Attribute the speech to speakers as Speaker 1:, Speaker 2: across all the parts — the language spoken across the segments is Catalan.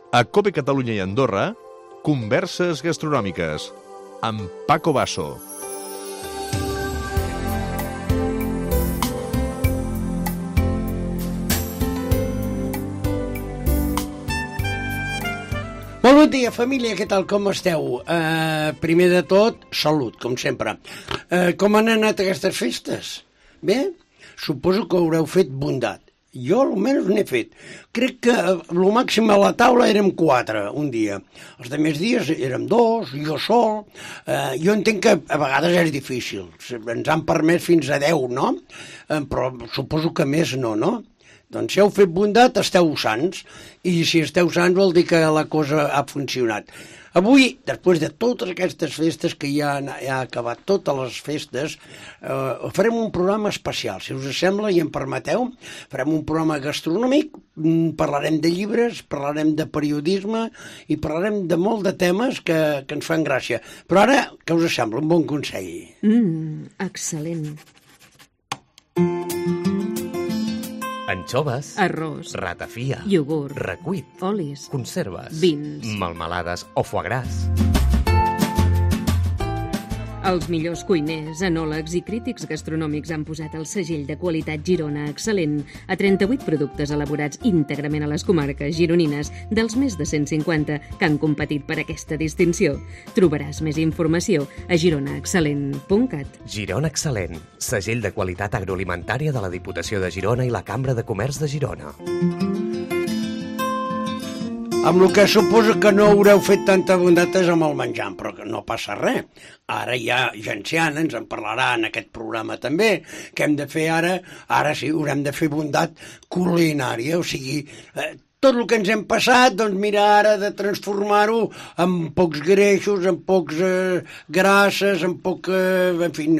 Speaker 1: A COPE Catalunya i Andorra, Converses Gastronòmiques, amb Paco Basso.
Speaker 2: Molt bon dia, família, què tal, com esteu? Primer de tot, salut, com sempre. Com han anat aquestes festes? Bé? Suposo que haureu fet bondat. Jo almenys n'he fet. Crec que el màxim a la taula érem 4 un dia. Els altres dies érem 2, jo sol. Jo entenc que a vegades és difícil. Ens han permès fins a 10, no? Però suposo que més no, no? Doncs si heu fet bondat, esteu sans. I si esteu sans vol dir que la cosa ha funcionat. Avui, després de totes aquestes festes que ja han acabat totes les festes, farem un programa especial. Si us sembla i em permeteu, farem un programa gastronòmic, parlarem de llibres, parlarem de periodisme i parlarem de molt de temes que ens fan gràcia. Però ara, què us sembla? Un bon consell.
Speaker 3: Excel·lent.
Speaker 4: Anxoves,
Speaker 3: Arròs,
Speaker 4: ratafia,
Speaker 3: iogurt,
Speaker 4: recuit,
Speaker 3: olis,
Speaker 4: conserves,
Speaker 3: vins,
Speaker 4: melmelades o foie gras.
Speaker 3: Els millors cuiners, enòlegs i crítics gastronòmics han posat el segell de qualitat Girona Excel·lent a 38 productes elaborats íntegrament a les comarques gironines dels més de 150 que han competit per aquesta distinció. Trobaràs més informació a gironaexcel·lent.cat.
Speaker 4: Girona Excel·lent, segell de qualitat agroalimentària de la Diputació de Girona i la Cambra de Comerç de Girona.
Speaker 2: Amb el que suposo que no haureu fet tanta bondat és amb el menjar, però que no passa res. Ara hi ha Genciana, ens en parlarà en aquest programa també, que hem de fer ara sí, haurem de fer bondat culinària, o sigui, tot el que ens hem passat, doncs mira ara de transformar-ho en pocs greixos, en pocs grasses, en poc... en fi,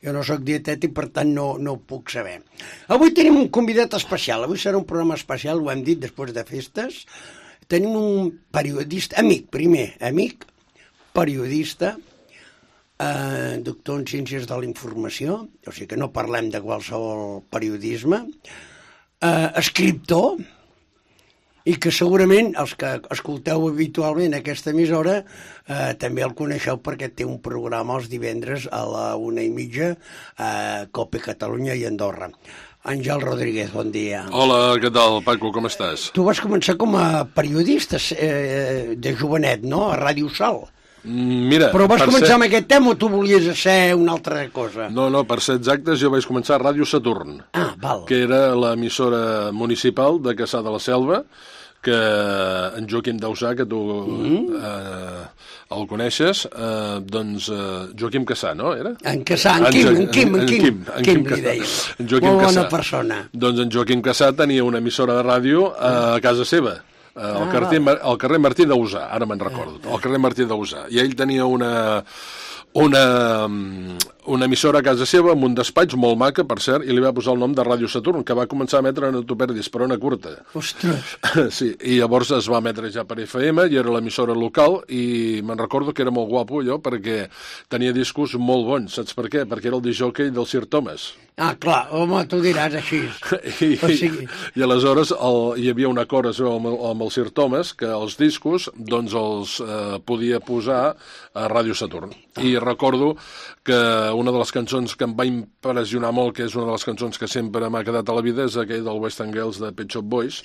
Speaker 2: jo no sóc dietètic, per tant no ho puc saber. Avui tenim un convidat especial, avui serà un programa especial, ho hem dit, després de festes. Tenim un periodista, amic, periodista, doctor en Ciències de la Informació, o sigui que no parlem de qualsevol periodisme, escriptor, i que segurament els que escolteu habitualment aquesta emissora també el coneixeu perquè té un programa els divendres a la 1:30 a COPE Catalunya i Andorra. Àngel Rodríguez, bon dia.
Speaker 5: Hola, què tal, Paco, com estàs?
Speaker 2: Tu vas començar com a periodista de jovenet, no?, a Ràdio Sal.
Speaker 5: Mira,
Speaker 2: però vas començar amb aquest tema o tu volies ser una altra cosa?
Speaker 5: No, per ser exactes, jo vaig començar a Ràdio Saturn,
Speaker 2: val.
Speaker 5: Que era l'emissora municipal de Cassà de la Selva, que en Joaquim Dausà, que tu el coneixes, doncs Joaquim Cassà, no? Era?
Speaker 2: En Cassà, en Quim li deia. Molt bona persona.
Speaker 5: Doncs en Joaquim Cassà tenia una emissora de ràdio a casa seva, al carrer Martí Dausà, ara me'n recordo, al carrer Martí Dausà, i ell tenia una emissora a casa seva amb un despatx molt maca, per cert, i li va posar el nom de Ràdio Saturn, que va començar a emetre No t'ho perdis, però una curta.
Speaker 2: Ostres!
Speaker 5: Sí, i llavors es va emetre ja per FM, i era l'emissora local, i me'n recordo que era molt guapo allò, perquè tenia discos molt bons. Saps per què? Perquè era el discjòquei del Sir Thomas.
Speaker 2: Ah, clar, home, tu diràs així.
Speaker 5: I aleshores hi havia un acord amb el Sir Thomas que els discos doncs els podia posar a Ràdio Saturn. I recordo que una de les cançons que em va impressionar molt, que és una de les cançons que sempre m'ha quedat a la vida, és aquell del Western Girls de Pet Shop Boys,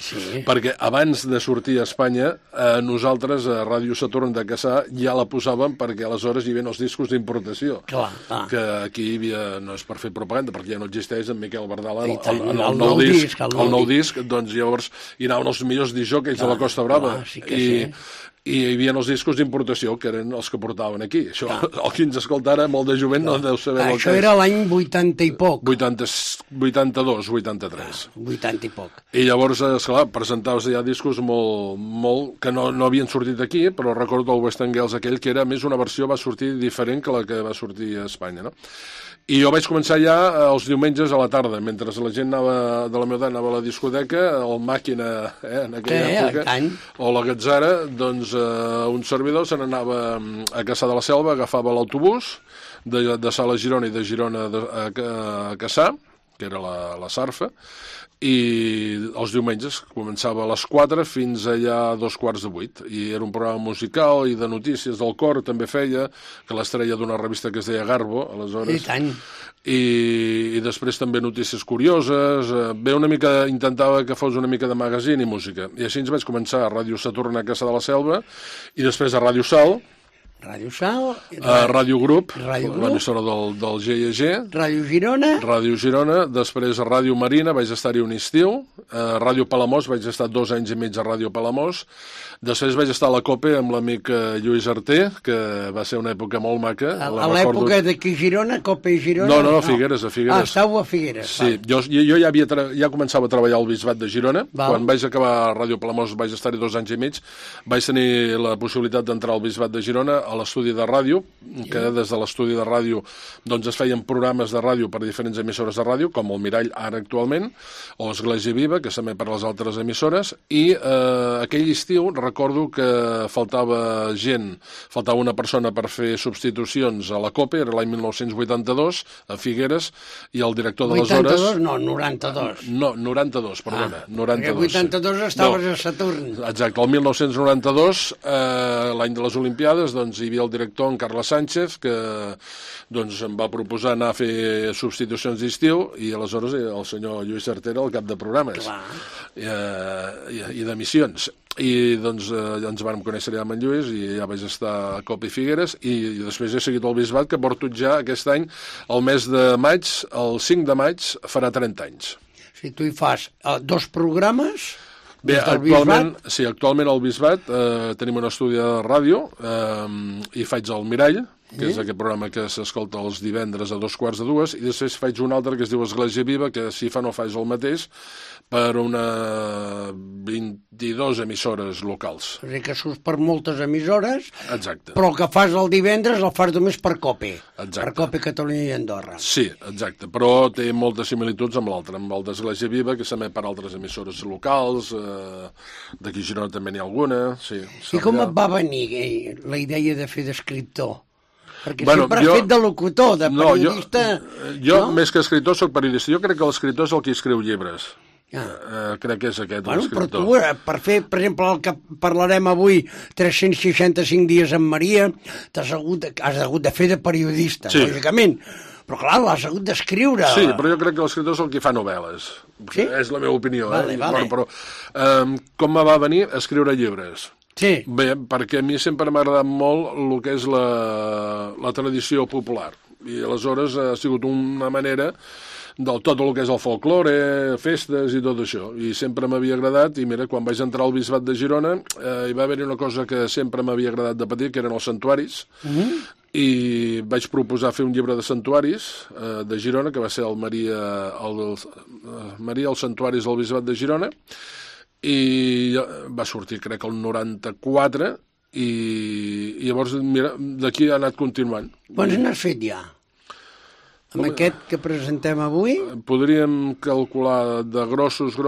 Speaker 5: perquè abans de sortir a Espanya, nosaltres a Ràdio Saturn de Cassà ja la posàvem perquè aleshores hi havia els discos d'importació. Que aquí hi havia, no és per fer propaganda, perquè ja no existeix en Miquel Bardala, el nou disc, doncs llavors hi anaven els millors discjòqueis de la Costa Brava. I hi havia els discos d'importació, que eren els que portaven aquí. Això, el que ens escolta ara, molt de jovent, no deu saber el que és.
Speaker 2: Això era l'any 80 i poc.
Speaker 5: 82, 83.
Speaker 2: 80 i poc.
Speaker 5: I llavors, esclar, presentaves ja discos molt que no havien sortit aquí, però recordo el Western Girls aquell, que era més una versió, va sortir diferent que la que va sortir a Espanya, no? I jo vaig començar ja els diumenges a la tarda, mentre la gent de la meva edat anava a la discoteca, el Màquina, en aquella època, o la Gatzara, doncs un servidor se n'anava a Cassà de la Selva, agafava l'autobús de Sala a Girona i de Girona a Cassà, que era la Sarfa, i els diumenges començava a les 4 fins allà a 7:45, i era un programa musical i de notícies del cor, també feia, que l'estrella d'una revista que es deia Garbo, aleshores.
Speaker 2: I tant.
Speaker 5: I després també notícies curioses, una mica, intentava que fos una mica de magazine i música, i així ens vaig començar a Ràdio Saturn a Caça de la Selva, i després a Ràdio Sal,
Speaker 2: Ràdio Sal,
Speaker 5: Ràdio Grup, l'emissora del GIG, Ràdio Girona, després a Ràdio Marina, vaig estar-hi un estiu, a Ràdio Palamós, vaig estar 2 anys i mig a Ràdio Palamós, després vaig estar a la COPE amb l'amic Lluís Arter, que va ser una època molt maca.
Speaker 2: A l'època d'aquí Girona, COPE i Girona?
Speaker 5: No, a Figueres, a Figueres.
Speaker 2: Estàveu a Figueres.
Speaker 5: Sí, jo ja començava a treballar al Bisbat de Girona. Quan vaig acabar a Ràdio Palamós vaig estar-hi 2 anys i mig, vaig tenir la possibilitat d'entrar al Bisbat de Girona a l'estudi de ràdio, que des de l'estudi de ràdio doncs es feien programes de ràdio per diferents emissores de ràdio, com el Mirall ara actualment, o Església Viva, que s'emet per les altres emissores, i aquell estiu recordo que faltava una persona per fer substitucions a la COPE, era l'any 1982, a Figueres, i el director d'aleshores...
Speaker 2: 82? No, 92.
Speaker 5: No, 92, perdona. 92.
Speaker 2: Perquè 82 estaves a Saturn.
Speaker 5: Exacte, el 1992, l'any de les Olimpiades, doncs hi havia el director, en Carles Sánchez, que doncs em va proposar anar a fer substitucions d'estiu, i aleshores el senyor Lluís Arter el cap de programes i d'emissions. I doncs ens vam conèixer allà amb en Lluís i ja vaig estar a COPE i Figueres, i després he seguit el Bisbat, que porto ja aquest any, el mes de maig, el 5 de maig, farà 30 anys.
Speaker 2: Si tu hi fas 2 programes...
Speaker 5: Bé, actualment al Bisbat tenim un estudi de ràdio i faig el Mirall, que és aquest programa que s'escolta els divendres a 2:45, i després faig un altre que es diu Església Viva, que si fa no faig el mateix, per una 22 emissores locals.
Speaker 2: O sigui que surts per moltes emissores,
Speaker 5: exacte,
Speaker 2: però el que fas el divendres el fas només per COPE.
Speaker 5: Exacte.
Speaker 2: Per COPE Catalunya i Andorra.
Speaker 5: Sí, exacte, però té moltes similituds amb l'altre, amb el d'Església Viva, que s'emet per altres emissores locals, d'aquí a Girona també n'hi ha alguna. Sí,
Speaker 2: i com et va venir la idea de fer d'escriptor? Perquè sempre has fet de locutor, de periodista...
Speaker 5: Jo, més que escriptor, soc periodista. Jo crec que l'escriptor és el que escriu llibres. Crec que és aquest l'escriptor.
Speaker 2: Però tu, per fer, per exemple, el que parlarem avui, 365 dies amb Maria, has hagut de fer de periodista, lògicament. Però clar, l'has hagut d'escriure.
Speaker 5: Sí, però jo crec que l'escriptor és el que fa novel·les. Sí? És la meva opinió.
Speaker 2: Vale.
Speaker 5: Però com me va venir a escriure llibres?
Speaker 2: Sí.
Speaker 5: Bé, perquè a mi sempre m'ha agradat molt el que és la tradició popular. I aleshores ha sigut una manera del tot el que és el folklore, festes i tot això. I sempre m'havia agradat, i mira, quan vaig entrar al Bisbat de Girona hi va haver una cosa que sempre m'havia agradat de petit, que eren els santuaris, i vaig proposar fer un llibre de santuaris de Girona, que va ser el Maria, els santuaris del Bisbat de Girona, i va sortir crec el 94, i llavors mira, d'aquí ha anat continuant.
Speaker 2: Quants n'has fet ja? Amb aquest que presentem avui?
Speaker 5: Podríem calcular de grossos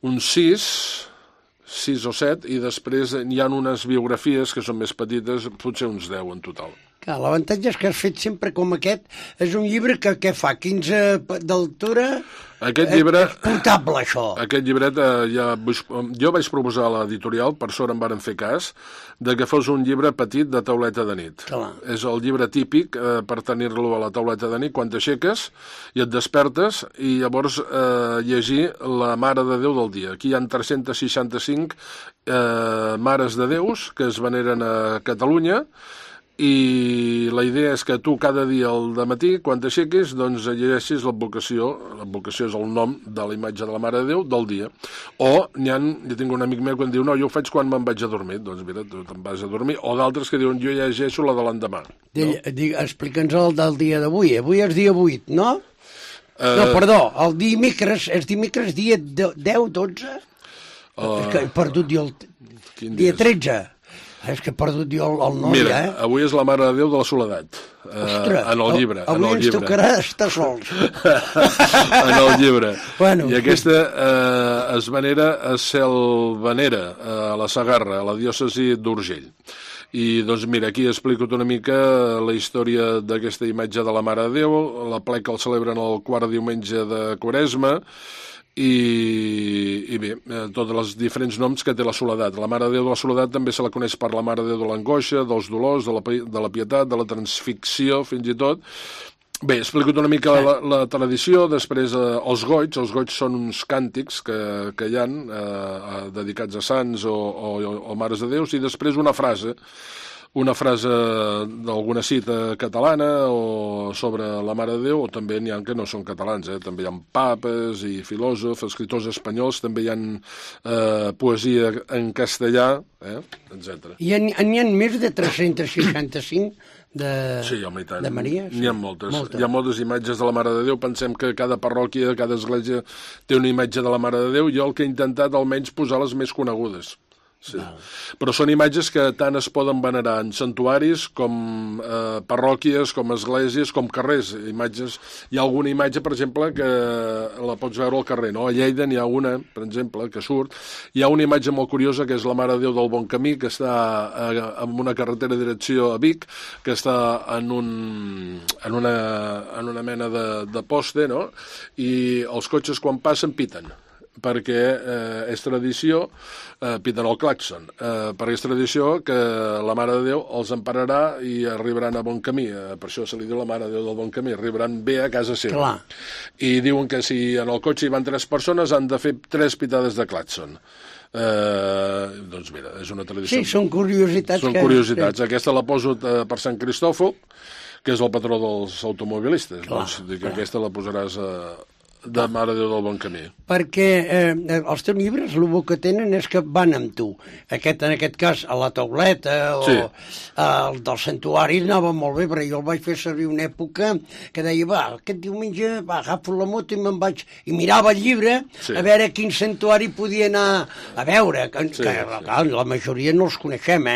Speaker 5: uns 6 o 7, i després hi ha unes biografies que són més petites, potser uns 10 en total.
Speaker 2: Clar, l'avantatge és que has fet sempre com aquest. És un llibre que què fa? 15 d'altura?
Speaker 5: Aquest llibre...
Speaker 2: És portable, això.
Speaker 5: Aquest llibret, jo vaig proposar a l'editorial, per sort em varen fer cas, de que fos un llibre petit de tauleta de nit.
Speaker 2: Clar.
Speaker 5: És el llibre típic per tenir-lo a la tauleta de nit, quan t'aixeques i et despertes, i llavors llegir la Mare de Déu del dia. Aquí hi ha 365 mares de Déus que es veneren a Catalunya, i la idea és que tu cada dia al dematí, quan t'aixequis, doncs llegeixis l'advocació és el nom de la imatge de la Mare de Déu del dia. Jo tinc un amic meu que em diu, no, jo ho faig quan me'n vaig a dormir. Doncs mira, tu te'n vas a dormir. O d'altres que diuen, jo llegeixo la de l'endemà.
Speaker 2: Explica'ns el del dia d'avui. Avui és dia 8, no? No, perdó, el dimecres, és dimecres dia 10, 12? És que he perdut jo el dia 13. És que he perdut jo el noi,
Speaker 5: Mira, avui és la Mare de Déu de la Soledat.
Speaker 2: Ostres,
Speaker 5: en el llibre.
Speaker 2: Avui ens tocarà estar sols.
Speaker 5: En el llibre.
Speaker 2: Bueno,
Speaker 5: I aquesta es venera a Selvanera, a la Segarra, a la diòcesi d'Urgell. I, doncs, mira, aquí explico una mica la història d'aquesta imatge de la Mare de Déu. La pleca el celebren el quart diumenge de Quaresma, i bé, tots els diferents noms que té la Soledat. La Mare de Déu de la Soledat també se la coneix per la Mare de Déu de l'Angoixa, dels dolors, de la pietat, de la transfixió, fins i tot. Bé, explico una mica la tradició. Després, els goigs són uns càntics que hi ha dedicats a sants o mares de Déus, i després una frase d'alguna cita catalana o sobre la Mare de Déu, o també n'hi ha que no són catalans, també hi ha papes i filòsofs, escriptors espanyols, també hi ha poesia en castellà, etc.
Speaker 2: I n'hi ha més de 365 de Maria?
Speaker 5: N'hi ha moltes. Hi ha moltes imatges de la Mare de Déu. Pensem que cada parròquia, cada església té una imatge de la Mare de Déu. Jo el que he intentat almenys posar les més conegudes. Sí. Però són imatges que tant es poden venerar en santuaris com parròquies, com esglésies, com carrers. Hi ha alguna imatge, per exemple, que la pots veure al carrer, no? A Lleida n'hi ha una, per exemple, que surt. Hi ha una imatge molt curiosa, que és la Mare de Déu del Bon Camí, que està en una carretera de direcció a Vic, que està en una mena de poste, no? I els cotxes, quan passen, piten, perquè és tradició, piten el clàxon, perquè és tradició que la Mare de Déu els empararà i arribaran a bon camí. Per això se li diu la Mare de Déu del Bon Camí, arribaran bé a casa seva.
Speaker 2: Clar.
Speaker 5: I diuen que si en el cotxe hi van 3 persones han de fer 3 pitades de clàxon. Doncs mira, és una tradició.
Speaker 2: Sí, són curiositats.
Speaker 5: Són curiositats. Sí. Aquesta la poso per Sant Cristòfol, que és el patró dels automobilistes. Clar, doncs dic que aquesta la posaràs de Mare de Déu del Bon Camí.
Speaker 2: Perquè els teus llibres el que tenen és que van amb tu. En aquest cas, a la tauleta o
Speaker 5: sí.
Speaker 2: El del santuari anava molt bé, perquè jo el vaig fer servir una època que deia, aquest diumenge agafo la moto i me'n vaig... I mirava el llibre a veure quin santuari podia anar a veure. Clar, la majoria no els coneixem,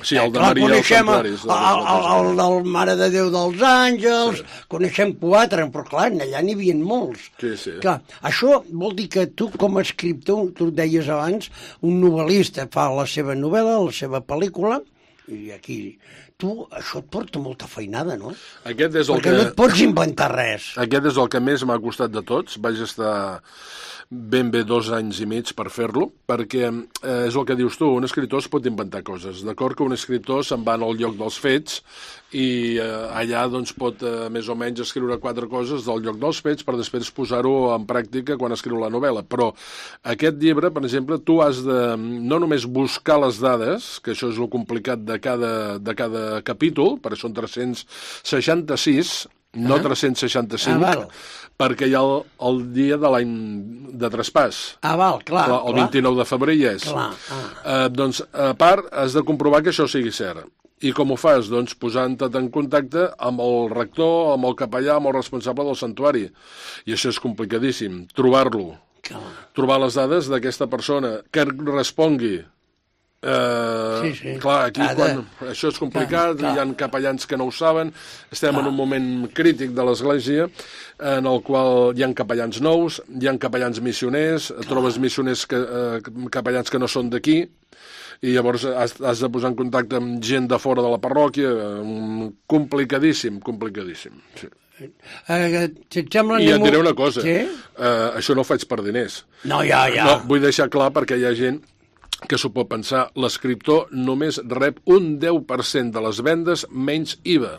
Speaker 5: Sí, el de Maria dels Santuaris.
Speaker 2: El del Mare de Déu dels Àngels, coneixem 4, però clar, allà n'hi havia molts.
Speaker 5: Sí.
Speaker 2: Clar, això vol dir que tu, com a escriptor, tu ho deies abans, un novel·lista fa la seva novel·la, la seva pel·lícula, i aquí això et porta molta feinada, no? Perquè no et pots inventar res.
Speaker 5: Aquest és el que més m'ha costat de tots. Vaig estar ben bé 2 anys i mig per fer-lo, perquè és el que dius tu, un escriptor es pot inventar coses. D'acord que un escriptor se'n va al lloc dels fets i allà doncs pot més o menys escriure 4 coses del lloc dels fets per després posar-ho en pràctica quan escriu la novel·la. Però aquest llibre, per exemple, tu has de no només buscar les dades, que això és el complicat de cada capítol, perquè són 366, no 365, perquè hi ha el dia de l'any de traspàs.
Speaker 2: Clar.
Speaker 5: El 29 de febrer hi és. Doncs, a part, has de comprovar que això sigui cert. I com ho fas? Doncs posant-te en contacte amb el rector, amb el capellà, amb el responsable del santuari. I això és complicadíssim. Trobar-lo. Trobar les dades d'aquesta persona que respongui. Clar, aquí això és complicat, hi ha capellans que no ho saben, estem en un moment crític de l'Església en el qual hi ha capellans nous, hi ha capellans missioners, trobes missioners capellans que no són d'aquí, i llavors has de posar en contacte amb gent de fora de la parròquia, complicadíssim. Sí. I et diré una cosa, això no ho faig per diners.
Speaker 2: No,
Speaker 5: vull deixar clar perquè hi ha gent que s'ho pot pensar, l'escriptor només rep un 10% de les vendes menys IVA.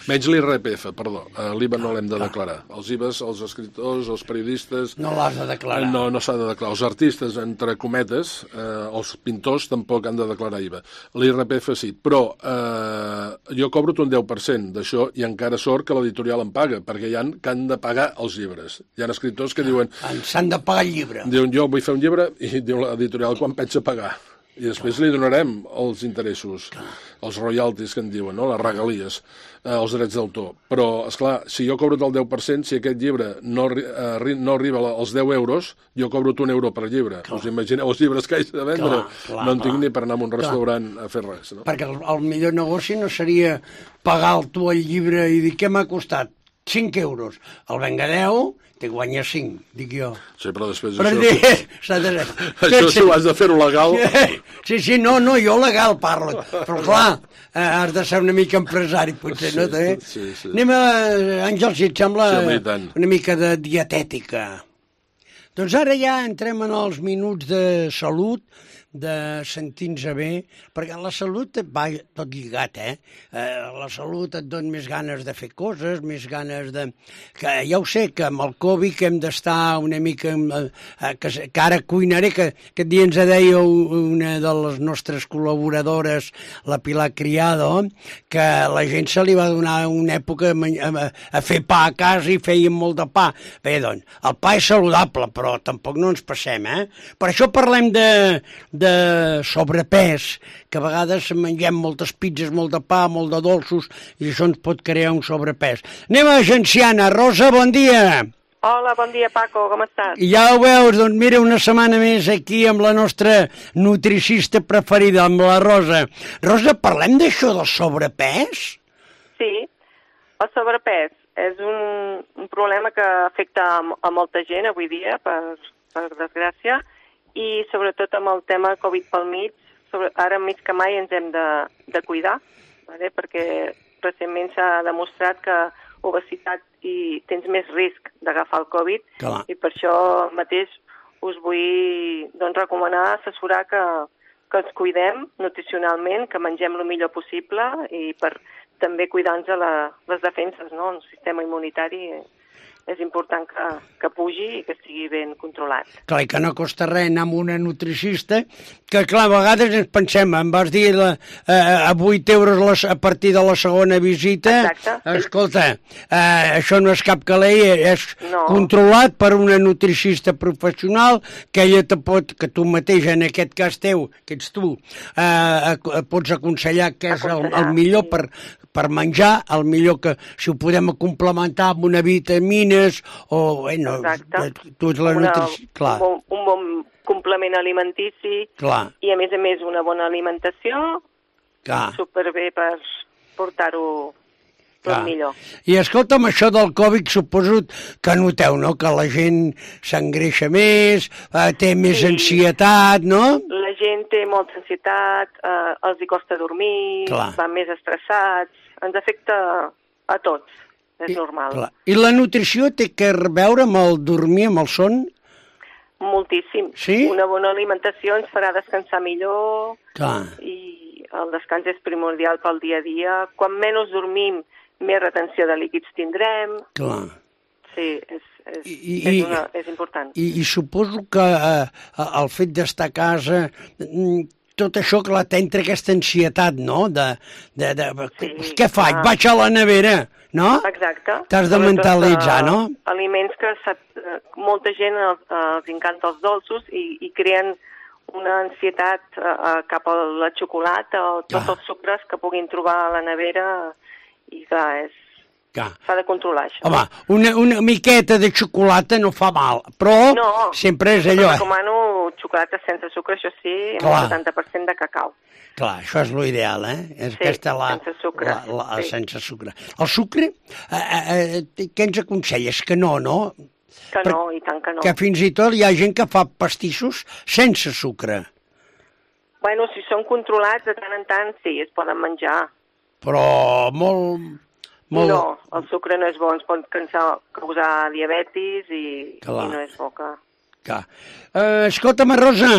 Speaker 5: Menys l'IRPF, perdó. L'IVA no l'hem de declarar. Els IVAs, els escriptors, els periodistes...
Speaker 2: No l'has de declarar.
Speaker 5: No s'ha de declarar. Els artistes, entre cometes, els pintors tampoc han de declarar IVA. L'IRPF sí, però jo cobro un 10% d'això i encara sort que l'editorial em paga, perquè hi ha que han de pagar els llibres. Hi ha escriptors que diuen...
Speaker 2: S'han de pagar el llibre.
Speaker 5: Diuen, jo vull fer un llibre, i diu l'editorial quan pensa pagar. I després li donarem els interessos, els royalties que en diuen, no? Les regalies, els drets d'autor. Però, esclar, si jo cobro el 10%, si aquest llibre no arriba als 10 euros, jo cobro un euro per llibre. Us imagineu els llibres que haig de vendre? No en tinc ni per anar a un restaurant a fer res. No?
Speaker 2: Perquè el millor negoci no seria pagar tu el llibre i dir què m'ha costat? 5 euros. El venga 10, te guanya 5, dic jo.
Speaker 5: Sí, però després
Speaker 2: Però
Speaker 5: això si ho has de fer-ho legal...
Speaker 2: Sí, no, jo legal parlo. Però clar, has de ser una mica empresari, potser, no?
Speaker 5: Sí.
Speaker 2: Anem a, Àngel, si et sembla,
Speaker 5: una
Speaker 2: mica de dietètica. Doncs ara ja entrem en els minuts de salut, de sentir-nos bé, perquè la salut va tot lligat, la salut et dona més ganes de fer coses, més ganes de... Que ja ho sé, que amb el Covid que hem d'estar una mica... Que ara cuinaré, que aquest dia ens deia una de les nostres col·laboradores, la Pilar Criado, que la gent se li va donar una època a fer pa a casa i feien molt de pa. Bé, doncs, el pa és saludable, però tampoc no ens passem, Per això parlem de sobrepès, que a vegades mengem moltes pizzas, molt de pa, molt de dolços, i això ens pot crear un sobrepès. Anem a Genciana. Rosa, bon dia.
Speaker 6: Hola, bon dia, Paco, com estàs?
Speaker 2: Ja ho veus, doncs mira, una setmana més aquí amb la nostra nutricista preferida, amb la Rosa. Rosa, parlem d'això del sobrepès?
Speaker 6: Sí, el sobrepès és un problema que afecta a molta gent avui dia, per desgràcia, i sobretot amb el tema Covid pel mig, ara més que mai ens hem de cuidar, perquè recentment s'ha demostrat que obesitat i tens més risc d'agafar el Covid,
Speaker 2: clar.
Speaker 6: I per això mateix us vull recomanar, assessorar que ens cuidem nutricionalment, que mengem el millor possible i per també cuidar-nos de les defenses, no? El sistema immunitari és important que pugi i que estigui ben controlat.
Speaker 2: Clar, i que no costa res anar amb una nutricista, que clar, a vegades ens pensem, em vas dir a 8 euros a partir de la segona visita.
Speaker 6: Exacte.
Speaker 2: Escolta, això no és cap calei, és controlat per una nutricista professional, que ella que tu mateix, en aquest cas teu, que ets tu, pots aconsellar què és el millor per menjar, el millor que si ho podem complementar amb una vitamines o... Bueno, tu ets la nutrició...
Speaker 6: Un bon complement alimentici.
Speaker 2: Clar.
Speaker 6: I a més una bona alimentació.
Speaker 2: Clar.
Speaker 6: Superbé per portar-ho tot millor.
Speaker 2: I escolta'm, això del Covid suposo que noteu, no?, que la gent s'engreixa més, té més ansietat, no?
Speaker 6: La gent té molta ansietat, els hi costa dormir, van més estressats, ens afecta a tots, és normal.
Speaker 2: Clar. I la nutrició té que veure amb el dormir, amb el son?
Speaker 6: Moltíssim.
Speaker 2: Sí?
Speaker 6: Una bona alimentació ens farà descansar millor.
Speaker 2: Clar.
Speaker 6: I el descans és primordial pel dia a dia. Quan menys dormim, més retenció de líquids tindrem.
Speaker 2: Clar.
Speaker 6: Sí, és important.
Speaker 2: I suposo que el fet d'estar a casa, tot això, clar, t'entra aquesta ansietat, no? Què faig? Vaig a la nevera, no?
Speaker 6: Exacte.
Speaker 2: T'has de mentalitzar, no?
Speaker 6: Aliments que molta gent els encanta els dolços i creen una ansietat cap a la xocolata o tots els sucres que puguin trobar a la nevera. I clar, s'ha de controlar això.
Speaker 2: Home, una miqueta de xocolata no fa mal, però sempre és allò.
Speaker 6: No, recomano xocolata sense sucre, això sí, amb el 70% de cacau.
Speaker 2: Clar, això és l'ideal, És aquesta
Speaker 6: sense sucre.
Speaker 2: Sense sucre. El sucre, què ens aconselles? Que no?
Speaker 6: Que no, i tant que no.
Speaker 2: Que fins i tot hi ha gent que fa pastissos sense sucre.
Speaker 6: Bueno, si són controlats, de tant en tant, sí, es poden menjar.
Speaker 2: Però molt...
Speaker 6: No, el sucre no és bo, ens pot causar diabetis i no és bo que...
Speaker 2: Escolta'm, Rosa,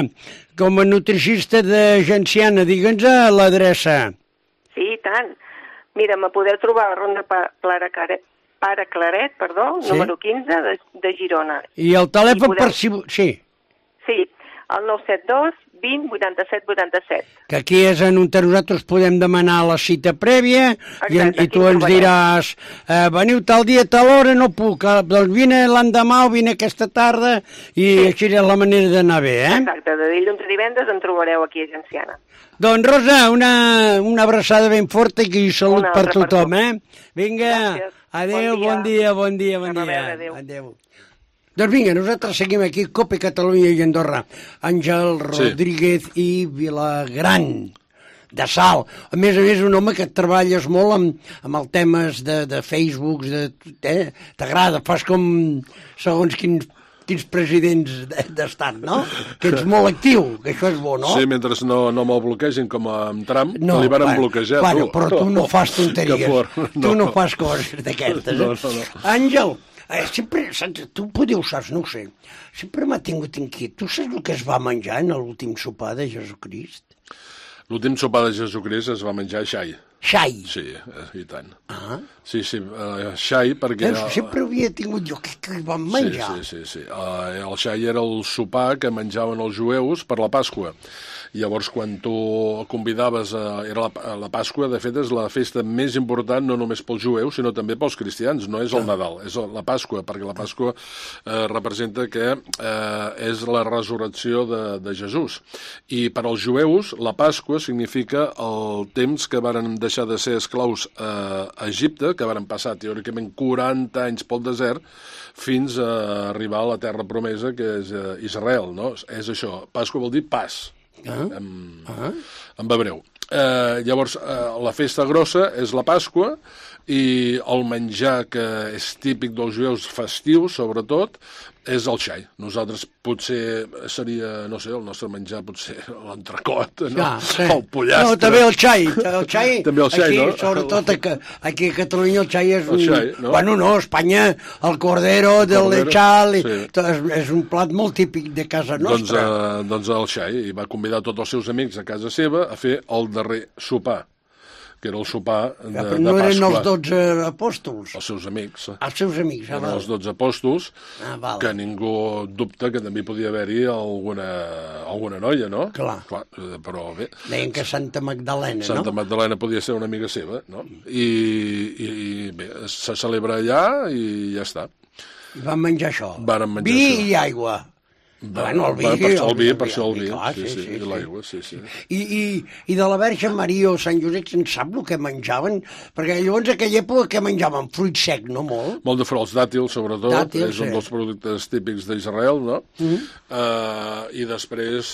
Speaker 2: com a nutricista de Genciana, digue'ns l'adreça.
Speaker 6: Sí, i tant. Mira, me podeu trobar a la Ronda Pare Claret, número 15 de Girona.
Speaker 2: I el telèfon per si... Sí.
Speaker 6: Sí, el 972 20 87 87.
Speaker 2: Que aquí és on nosaltres podem demanar la cita prèvia. Exacte, i tu ens diràs, veniu tal dia, tal hora, no puc, doncs vine l'endemà o vine aquesta tarda i així és la manera d'anar bé,
Speaker 6: Exacte, de dilluns a divendres en trobareu aquí a Genciana.
Speaker 2: Doncs Rosa, una abraçada ben forta i salut per tothom, Vinga, adéu, bon dia. Adéu. Doncs vinga, nosaltres seguim aquí, Cope Catalunya i Andorra. Àngel Rodríguez i Vilagran. de sal. A més, un home que treballes molt amb els temes de Facebook, t'agrada, fas com segons quins presidents d'estat, no? Que ets molt actiu, que això és bo, no?
Speaker 5: Sí, mentre no me'l bloquegin com amb Trump, no, li van bloquejar, tu.
Speaker 2: Però tu no fas tonteries, tu no fas coses d'aquestes. No. Àngel, sempre, tu podeu saps, no ho sé, sempre m'ha tingut inquiet. Tu saps el que es va menjar en l'últim sopar de Jesucrist?
Speaker 5: L'últim sopar de Jesucrist es va menjar xai.
Speaker 2: Xai?
Speaker 5: Sí, i tant. Sí, xai perquè...
Speaker 2: Sempre havia tingut jo que hi van menjar.
Speaker 5: Sí. El xai era el sopar que menjaven els jueus per la Pasqua. Llavors, quan tu convidaves, era la Pasqua, de fet, és la festa més important no només pels jueus, sinó també pels cristians. No és el Nadal, és la Pasqua, perquè la Pasqua representa que és la resurrecció de Jesús. I per als jueus, la Pasqua significa el temps que varen deixar de ser esclaus a Egipte, que varen passar, teòricament, 40 anys pel desert, fins a arribar a la terra promesa, que és Israel, no? És això. Pasqua vol dir pas. En hebreu. Llavors, la festa grossa és la Pasqua i el menjar que és típic dels jueus festius, sobretot, és el xai. Nosaltres potser seria, no sé, el nostre menjar potser l'entrecot, no? El pollastre. No,
Speaker 2: també el xai.
Speaker 5: També el xai,
Speaker 2: aquí,
Speaker 5: no?
Speaker 2: Sobretot aquí a Catalunya el xai és un...
Speaker 5: Xai, no?
Speaker 2: Bueno, no, a Espanya el cordero del lechal és un plat molt típic de casa nostra.
Speaker 5: Doncs el xai, i va convidar tots els seus amics a casa seva a fer el darrer sopar, que era el sopar de Pasqua.
Speaker 2: No eren els 12 apòstols?
Speaker 5: Els seus amics.
Speaker 2: Els seus amics,
Speaker 5: eren els 12 apòstols, que ningú dubta que també podia haver-hi alguna noia, no?
Speaker 2: Clar.
Speaker 5: Però bé...
Speaker 2: Deien que Santa Magdalena, no?
Speaker 5: Santa Magdalena podia ser una amiga seva, no? I bé, se celebra allà i ja està.
Speaker 2: I van menjar això.
Speaker 5: Varen menjar
Speaker 2: vi
Speaker 5: això.
Speaker 2: I aigua. Bueno, el vi.
Speaker 5: Per això el vi, sí, i l'aigua, sí.
Speaker 2: I de la Verge Maria o Sant Josep se'n sap el que menjaven? Perquè llavors, a aquella època, què menjaven? Fruit sec, no molt?
Speaker 5: Molt de fruits, dàtils, sobretot. És un dels productes típics d'Israel, no? I després,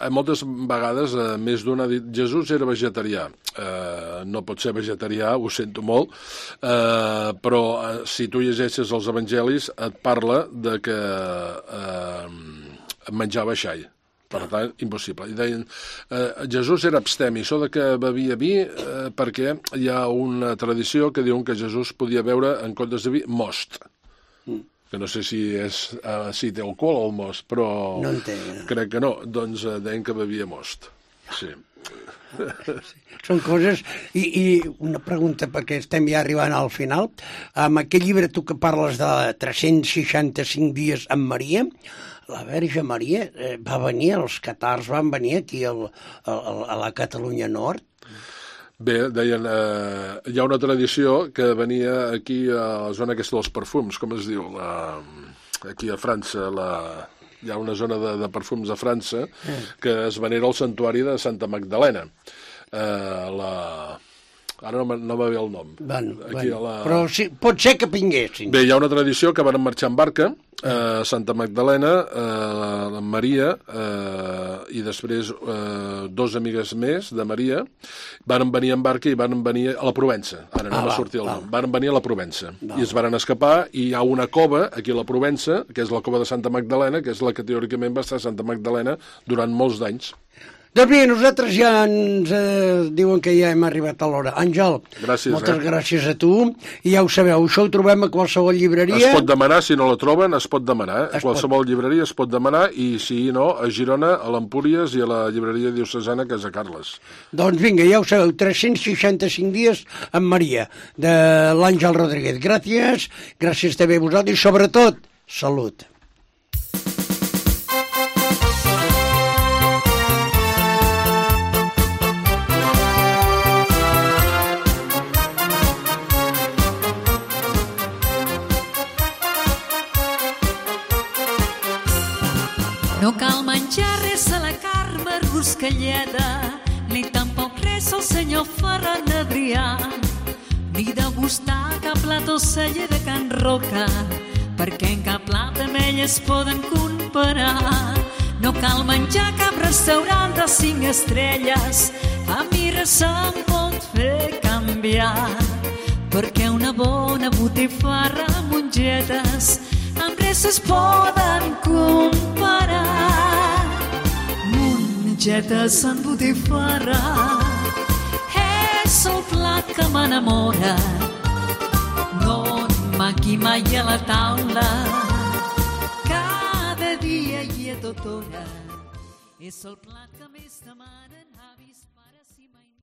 Speaker 5: moltes vegades, més d'una ha dit, Jesús era vegetarià. No pot ser vegetarià, ho sento molt, però si tu llegeixes els evangelis et parla de que menjava xai. Per tant, impossible. I deien, Jesús era abstemi, això de que bevia vi, perquè hi ha una tradició que diuen que Jesús podia beure, en comptes de vi, most. Que no sé si té alcohol el most, però
Speaker 2: no entenc.
Speaker 5: Crec que no. Doncs deien que bevia most. Sí.
Speaker 2: Són coses... I una pregunta, perquè estem ja arribant al final. Amb aquest llibre, tu que parles de 365 dies amb Maria, la Verge Maria va venir, els catars van venir aquí a la Catalunya Nord?
Speaker 5: Bé, deien, hi ha una tradició que venia aquí a la zona aquesta dels perfums, com es diu? Aquí a França, hi ha una zona de perfums a França que es venera al santuari de Santa Magdalena. Ara no va bé el nom.
Speaker 2: Però sí, pot ser que vinguessin.
Speaker 5: Bé, hi ha una tradició que van marxar en barca, Santa Magdalena, Maria, i després dos amigues més de Maria, van venir en barca i van venir a la Provença. Ara no va sortir el nom. Van venir a la Provença. I es van escapar, i hi ha una cova aquí a la Provença, que és la cova de Santa Magdalena, que és la que teòricament va estar Santa Magdalena durant molts d'anys.
Speaker 2: Doncs bé, nosaltres ja ens diuen que ja hem arribat a l'hora. Àngel, moltes gràcies a tu. I ja ho sabeu, això ho trobem a qualsevol llibreria.
Speaker 5: Es pot demanar, si no la troben, es pot demanar. A qualsevol llibreria es pot demanar, i si no, a Girona, a l'Empúries i a la llibreria diocesana Casa Carles.
Speaker 2: Doncs vinga, ja ho sabeu, 365 dies amb Maria, de l'Àngel Rodríguez. Gràcies també a vosaltres, i sobretot, salut.
Speaker 7: No cal menjar res a la Carme Ruscalleda, ni tampoc res al senyor Ferran Adrià, ni degustar cap plat o celler de Can Roca, perquè en cap plat amb ell es poden comparar. No cal menjar cap restaurant de 5 estrelles, A mi res em pot fer canviar, perquè una bona botifarra amb mongetes amb res es poden comparar. Mongetes amb botifarra és el plat que m'enamora. No manqui mai a la taula, cada dia i a tota hora. És el plat que més demanen avi.